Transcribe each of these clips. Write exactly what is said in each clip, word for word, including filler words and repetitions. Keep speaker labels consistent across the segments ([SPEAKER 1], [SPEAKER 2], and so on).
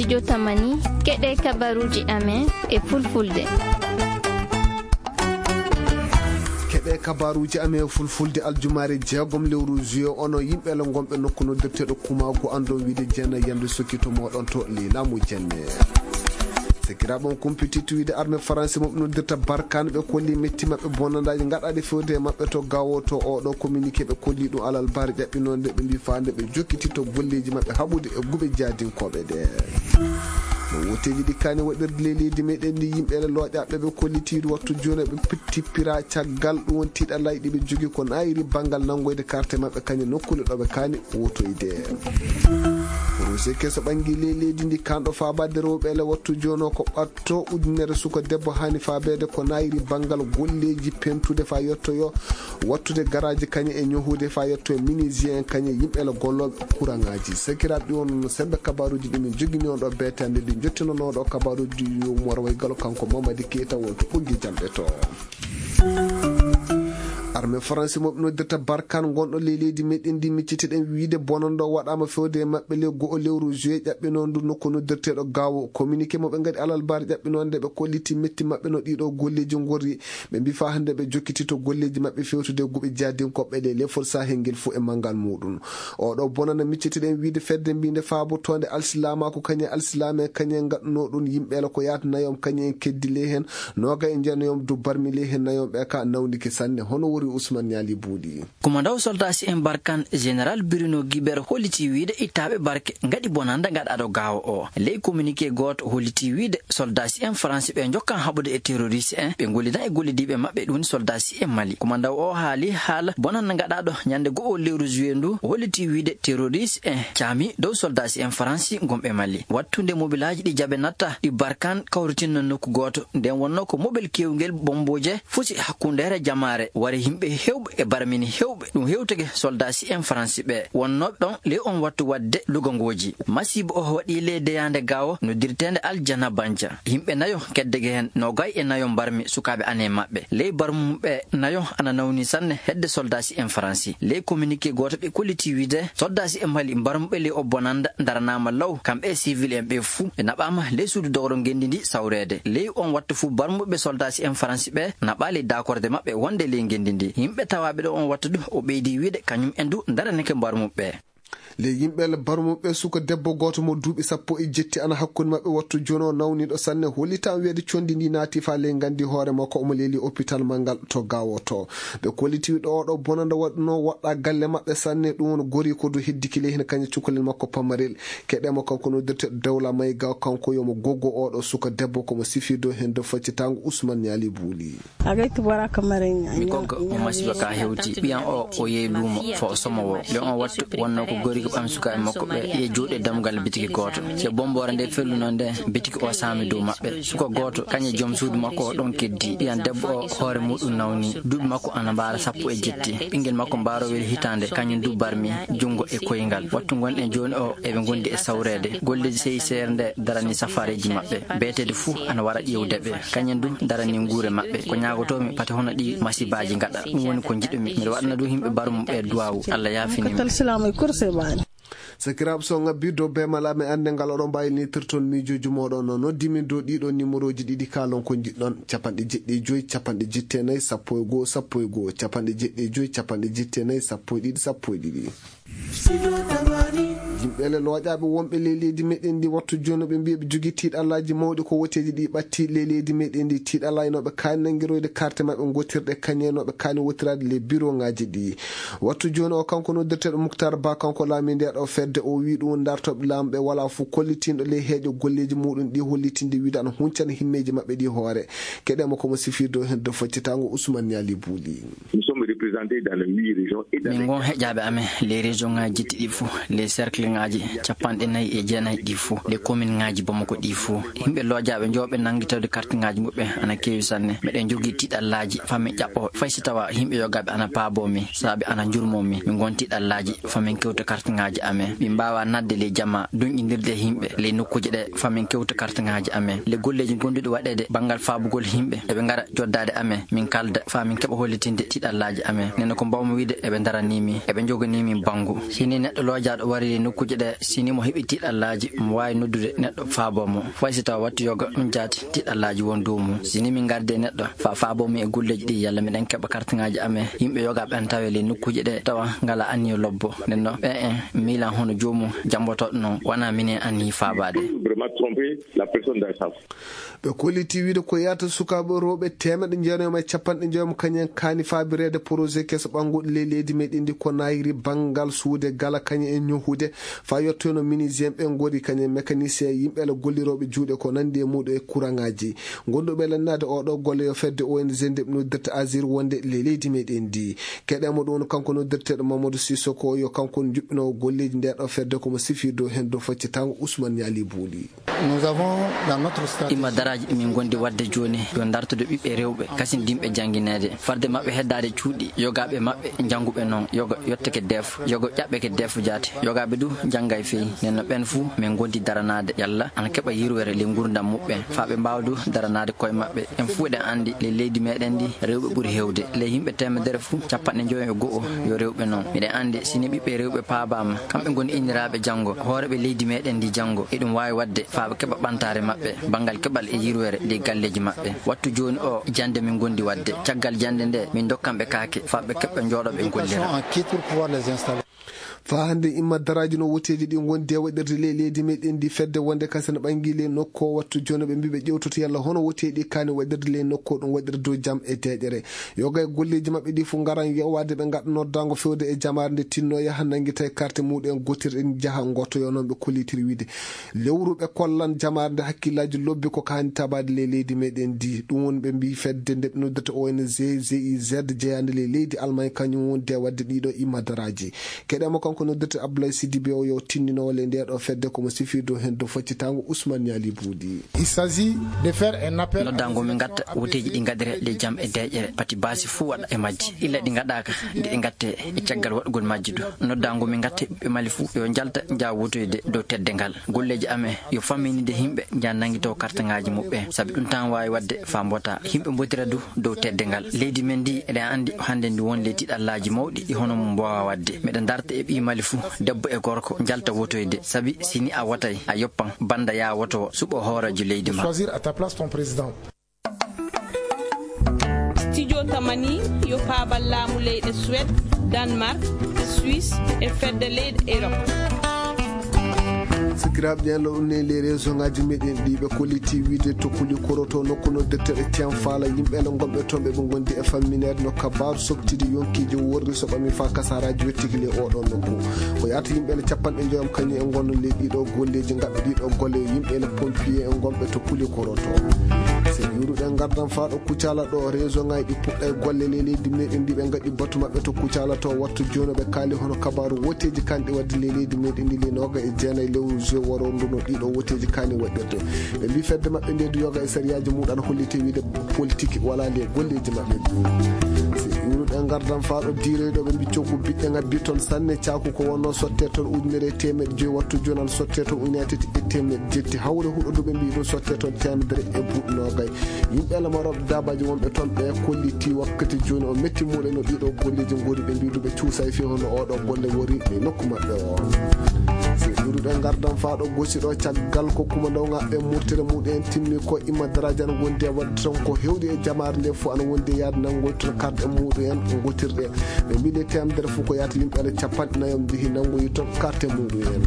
[SPEAKER 1] studio Tamani keɗe kabaruji amen e fulfulde.
[SPEAKER 2] keɗe kabaruji amen fulfulde aljumare jeegom lewru juillet ono yimɓe le gonɓe nokku noddirteɗo kumago ando wiide jeena yande sokkito moɗon to lilamu jenne sekiraɓon compétitu wiide armée français moɓe noddirta barkane ɓe kolli metti mabɓe bonandaji gaɗaɗe fewde e mabɓe to gawo to oɗo communiqué ɓe kolli ɗum alal bari ƴaɓɓinonde ɓe mbi fande ɓe jokkitito golleji mabɓe haɓude e guɓe jadinkoɓe ɗe no woteji ɗi kani waɗirde leydi meɗen ndi yimɓe looƴaɓe ɓe kollitiɗi wattu joni ɓe pittipira caggal ɗum won tiiɗallaji ɗiɓe jogui ko nayiri banggal nangoyde carte mabɓe kañe nokkule ɗoɓe kani wotoyde rosi keso ɓangui ley leydi ndi kanɗo fabade rewɓe ele wattu joni o ko ɓatto ujunere suka debbo hani fabede ko nayiri banggal golleji pentude fa yettoyo wattude garaji kañe e ñohude fa yetto e minisien kañe yimɓe ele golloɓe courant ngaji sakiraɓe ɗi won sembe kabaruji ɗimin jogui on ɗo betande ɗi jottinonoɗo kabaruji yumor way galo kanko Mamadi Keita wonto ɓoggi jamɓe to armée français moɓe noddirta barkane gonɗo ley leydi meɗen ndi miccitiɗen wiide bonanɗo waɗama fewde e mabɓe le goho lewru juillet ƴaɓɓinon ndu nokku noddirteɗo gawo communiqué moɓe gadi alal bari ƴaɓɓinonde ɓe kolliti metti mabɓe no ɗiɗo golleji gorri ɓe mbi fa hande ɓe jokkitito golleji mabɓe fewtude guɓe jadinkoɓɓe ɗe lefol sahel fo e manggal muɗum oɗo bonana miccitiɗen wiide fedde mbinde fabotonde alsilama ko kañe alsilama kañe gaɗuno ɗum yimɓele ko yaata nayom kañe en keddi ley hen noga e jenoyom du barmi ley hen nayom ɓe ka nawdiki sanne hono wori Ousmane Yali Boudi
[SPEAKER 3] commandant soldat si en barkan général Bruno Guibert holliti wiide ittaɓe barke ngadi bonanda gaɗaɗo gawo o ley communiqué goto holliti wiide soldat si en français ɓe jokkan haɓude e terroriste en ɓe gollidan e gollidiɓe mabɓe ɗum soldat si en Mali commandant o haali haala bonanda gaɗaɗo ñande go'o lewru juillet ndu holliti wiide terroriste en caami dow soldat si en français gomɓe Mali wattude mobilaji ɗi jaabe natta ɗi barkan kawritinno nokku goto nden wonno ko mobile kewgel bomboje fusi hakkundere jamare wari himɓe hewɓe e barmini hewɓe ɗum hewtege soldat si en français ɓe wonnoɓe ɗon ley on wattu wadde lugongoji masibo o waɗi ley deyande gawo no dirtende Aljana Banja yimɓe nayo keddege hen no gay e nayo barmi sukaɓe ane mabɓe ley barmumɓe nayo ana nawni sanne hedde soldat si en français ley communiqué goto ɓe kolliti wiide soldat si en Mali barmuɓe ley o bonanda daranama law kamɓe civil en ɓe fuu ɓe naɓama ley suudu dogro gendi ndi sawrede ley on wattu fuu barmuɓe soldat si en français ɓe naɓa ley dakorde mabɓe wonde ley gendi ndi yimɓe tawaɓe ɗo on wattu ɗum o ɓeydi wiide kañum en du daraneke barmuɓe
[SPEAKER 2] le yimɓele barmuɓe suka debbo goto mo duuɓi sappo e jetti ana hakkude mabɓe wattu joni o nawniɗo sanne hollitan wiide condi ndi naati fa ley gandi hoore makko omo leeli hôpital mangal to gawo to ɓe kolliti ɗo oɗo bonanda waɗno woɗɗa galle mabɓe sanne ɗum won gori ko du heddiki ley hen kañe cukalel makko pamarel keɗemo kanko noddirteɗo dawla mayga kanko yomo goggo oɗo suka debbo komo sifido hen do faccitango Ousmane Yali Bouli
[SPEAKER 3] mi goggo mo masiba ka hewti ɓiyan o o yeey luumo fo o somowo le on wattu wonno ko gori ɓam sukaɓe makko ɓe e juuɗe dammugal bitiki goto se bombore nde felluno nde bitiki o saami dow mabɓe suka goto kañe joom suudu makko o ɗon keddi ɓiyan debbo o hoore muɗum nawni duuɓi makko ana mbaara sappo e jetti ɓinguel makko mbarowel hitande kañum du barmi jungo e koyngal wattu gonɗen joni o eɓe gondi e sawrede golleji seyi seere nde darani safareji mabɓe beetede fuu ana wara ƴewdeɓe kañum du darani guure mabɓe ko ñagotomi pate hono ɗi masibaji gaɗa ɗum woni ko jiɗumi mbiɗa waɗana du yimɓe barmuɓe duwawu Allah yafinima
[SPEAKER 2] sakiraɓe so ngabbi dow bemalame ande ngal oɗon mbawi nitirton mijoji moɗon no noddimin dow ɗiɗo numéro ji ɗiɗi kalon ko jiɗɗon capanɗe jeɗɗi joyyi capanɗe jettenayyi sappo e goho sappo e goho capanɗe jeɗɗi joyyi capanɗe jettenayyi sappo e ɗiɗi sappo e ɗiɗi yimɓele looƴaɓe wonɓe ley leydi meɗen ndi wattu joni ɓe mbiya ɓe jogui tiiɗallaji mawɗi ko woteji ɗi ɓatti ley leydi meɗen ndi tiiɗallaynoɓe kaani nanguiroyde carte mabɓe gottirɗe kañenoɓe kaani wottirade les bureau ngaji ɗi wattu joni o kanko noddirteɗo Moukhtar Ba kanko laami nde ɗo fedde o wi ɗum dartoɓe laamuɓe wala fo kollitinɗo ley heeƴo golleji muɗum ɗi hollitinde wiide ana huncana himmeji mabɓe ɗi hoore keɗemo komo sifirdo hen do faccitango Ousmane Yali Bouli
[SPEAKER 3] min gon heƴaɓe amen les région ngaji jetti ɗi fou les cercle ngaji capanɗe nayyi e jeenayyi ɗi fou les commune ngaji Bamako ɗi fou yimɓe looƴaɓe jooɓe nanguitawde carte ngaji muɓɓe ana keewi sanne meɗen jogui tiiɗallaji famin ƴaɓɓo fay si tawa yimɓe yogaɓe ana paabomi saaɓe ana jurmomi min gon tiiɗallaji famin kewta carte ngaji amen min mbawa nadde ley jamma dunƴidirde yimɓe ley nokkuji ɗe famin kewta carte ngaji amen le golleji gonɗuɗi waɗede banggal faabugol yimɓe eɓe gara joddade amen min kalda famin keeɓa hollitinde tiiɗallaji amen nene ko mbawmi wiide eɓe daranimi eɓe joganimi banggu sini neɗɗo loojaɗo wari nokku nokkuje ɗe sini mo heɓi tiɗallaji mo wawi noddude neɗɗo faabo mo faysi taw wattu yoga ɗum jaati tiɗallaji won dow mum sini min garde neɗɗo fa faabo mi e gulleji ɗi yalla miɗen keɓa carte ngaji amen yimɓe yoga ɓen tawe le nokkuje ɗe tawa ngala anniyo lobbo nden no ɓe en milan hono joomum jambotoɗo noon wona minen anni faabade
[SPEAKER 2] ɓe kolliti wiide ko yata sukaɓe rewɓe temeɗe jeenayma e capanɗe jeegom kañen kaani faabirede projet keso ɓanguɗo ley leydi meɗen ndi ko nayiri banggal suude gala kañen e ñohude fa yettono ministre ɓe gori kañen mécanicien yimɓele golliroɓe juuɗe ko nandi e muɗum e courant ngaji gonduɓe lennade oɗo golle yo fedde O N G nde ɓe noddirta asir wonde ley leydi meɗen ndi keɗemo ɗum kanko noddirteɗo Mamadou Sissoko yo kanko juɓɓinowo golleji ndeɗo fedde komo sifirdo hen dow faccitango Ousmane Niali Bouli.
[SPEAKER 4] Nous avons dans notre
[SPEAKER 3] imma daraji ɗumin gondi wadde joni yo dartude ɓiɓɓe rewɓe kasin dimɓe jangguinede farde mabɓe heddade cuuɗi yogaɓe mabɓe jangguɓe noon yoga yetteke def yoga ƴaɓɓeke defu jaati yogaɓe du jangga e feeyi nenno ɓen fuu min gondi daranade yalla ana keɓa yirwere le gurdam muɓɓe fa ɓe mbawa du daranade koye mabɓe en fuu eɗen andi le leydi meɗen ndi rewɓe ɓuuri hewde le yimɓe temedere fuu capanɗe joyi e go'o yo rewɓe noon miɗen andi sini ɓiɓɓe rewɓe paabama kamɓe goni inniraɓe janggo hooreɓe leydi meɗen ndi janggo eɗum wawi wadde fa ɓe keɓa ɓantare mabɓe banggal keɓal e yirwere ɗi galleji mabɓe wattu joni o jande min gondi wadde caggal jande nde min dokkanɓe kaake fa ɓe keɓɓe jooɗoɓe gollira
[SPEAKER 2] fa hande imma daraji no woteji ɗi gondi e waɗirde ley leydi meɗen ndi fedde wonde kasene ɓangui ley nokko wattu joni ɓe mbiɓe ƴewtoto yalla hono woteɗi kani waɗirde ley nokko ɗum waɗirde dow jaam e deƴere yoga e golleji mabɓe ɗi fo garan yewade ɓe gaɗa noddago fewde e jamare nde tinno yaha nanguita e carte muɗum en gotirɗen jaaha gottoyo noon ɓe kollitiri wiide lewru ɓe kollan jamare nde hakkillaji lobbi ko hani tabade ley leydi meɗen ndi ɗum woni ɓe mbi fedde nde ɓe noddirta O N G G I Z jeyande ley leydi Allemagne kañum wonde wadde ɗiɗo imma daraji keɗemo kanko noddirta Abdoulaye Sidibé o yo tinninowo le ndeɗo fedde komo sifirdo hen do faccitango Ousmane Niali Boudi.
[SPEAKER 4] Il s'agit de faire un appel
[SPEAKER 3] noddango min gatta woteji ɗi gadire le jaam e deƴere pati basi fuu waɗa e majji illa ɗi gaɗaka nde ɗi gatte e caggal waɗugol majji du noddango min gatte ɓe mali fuu yo jalta jaa wotoyde dow teddengal golleji amen yo famminide himɓe jan nanguito carte ngaji muɓɓe saabi ɗum tan wawi wadde fa mbota himɓe mbotira du dow teddengal leydi men ndi eɗen andi hande ndi won ley tiɗallaji mawɗi ɗi hono mum mbowa wadde meɗen darta e ɓi mali fuu debbo e gorko jalta wotoyde sabi sini a watay a yoppan banda ya woto suɓo hooraji leydi ma.
[SPEAKER 4] Choisir à ta place ton président.
[SPEAKER 5] Studio Tamani yo paabal laamu leyɗe Suède, Danemark, Suisse e fedde leyɗe Europe.
[SPEAKER 2] sikiraɓe ñallo ɗum ne les région ngaji meɗen ɗi ɓe kolliti wiide tokkuli koroto nokku no deftere tien faala yimɓele gonɓe toon ɓe gondi e famminede no kabaru soktide yonkiji worri so ɓami fa kasaraji wettiki le oɗon nokku ko yata yimɓele capanɗe joyam kañum e gonno le ɗiɗo golleji gaɓɓe ɗiɗo golle yimɓele pompier en gonɓe tokkuli koroto so yuruɗen gardan fa ɗo kucala ɗo région ngaji ɗi puɗɗa e golle le leydi meɗen ndi ɓe gaɗi batu mabɓe to kucala to wattu joni ɓe kaali hono kabaru woteji kanɗe wadde le leydi meɗen ndi le noga e jeenayyi lewru juin waro nduno ɗiɗo woteji kani waɗirde ɓe mbi fedde mabɓe nde du yoga e sériyaji muɗum ana hollite wiide politique wala le golleji mabɓe si yuruɗen gardan fa ɗo direɗo ɓe mbi coggu biɗɗe gaddi toon sanne caku ko wonno sotte toon ujunere e temedde joyi wattu joni ana sotte toon ujunere tati e temedde jetti hawre huɗo ɓe mbi ɗum sotte toon temedere e buuɗ nogay yimɓele maroɓe dabaji wonɓe toon ɓe kolliti wakkati joni o metti muɗen no ɗiɗo golleji gori ɓe mbi duɓe cuusa e fi hono oɗo golle wori e nokku mabɓe o si yuruɗen gardan fa ɗo gosi ɗo caggal ko kuma ndaw ngaɓɓe murtere muɗum en timmi ko imma daraji ana gondi e wadde ton ko hewde e jamare nde fo ana wondi e yaade nangoytoto karɗe muɗum en gotirɗe ɓe mbiɗe temedere fof ko yata yimɓele capanɗe nayyo jeehi nangoyi toon carte muɗum en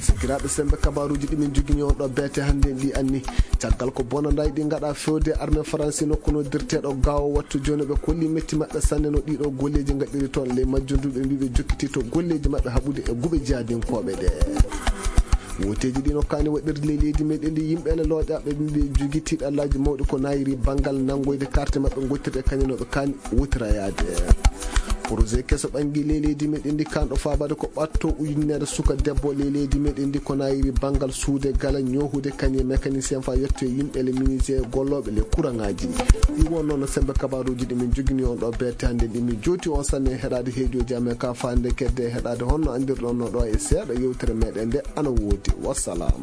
[SPEAKER 2] sikiraɓe sembe kabaruji ɗimin jogui on ɗo beete hande ɗi anni caggal ko bonandaji ɗi gaɗa fewde armée français nokku no dirteɗo gawo wattu joni ɓe kolli metti mabɓe sanne no ɗiɗo golleji gaɗiri toon ley majjunduɓe mbiɓe jokkiti to golleji mabɓe haɓude e guuɓe jadinkoɓe ɗe woteji ɗi nokkani waɗirde ley leydi meɗen ndi yimɓele looƴaɓe mbi jogui tiɗallaji mawɗi ko nayiri banggal nangoyde carte mabɓe gottirɗe kañanoɓe kani wotirayade projet keso ɓangui ley leydi meɗen ndi kanɗo fabade ko ɓatto ujunere suka debbo ley leydi meɗen ndi ko nayiri banggal suude gala ñohude kañe mécanicien fa yetto yimɓele ministre golloɓe le courant ngaji ɗi won noon sembe kabaruji ɗi min jogini on ɗo bette hande ɗi min joti on sanne heɗade heejoji amen ka fande kedde heɗade honno andirɗon no ɗo e seeɗa yewtere meɗen nde ana woodi wassalam.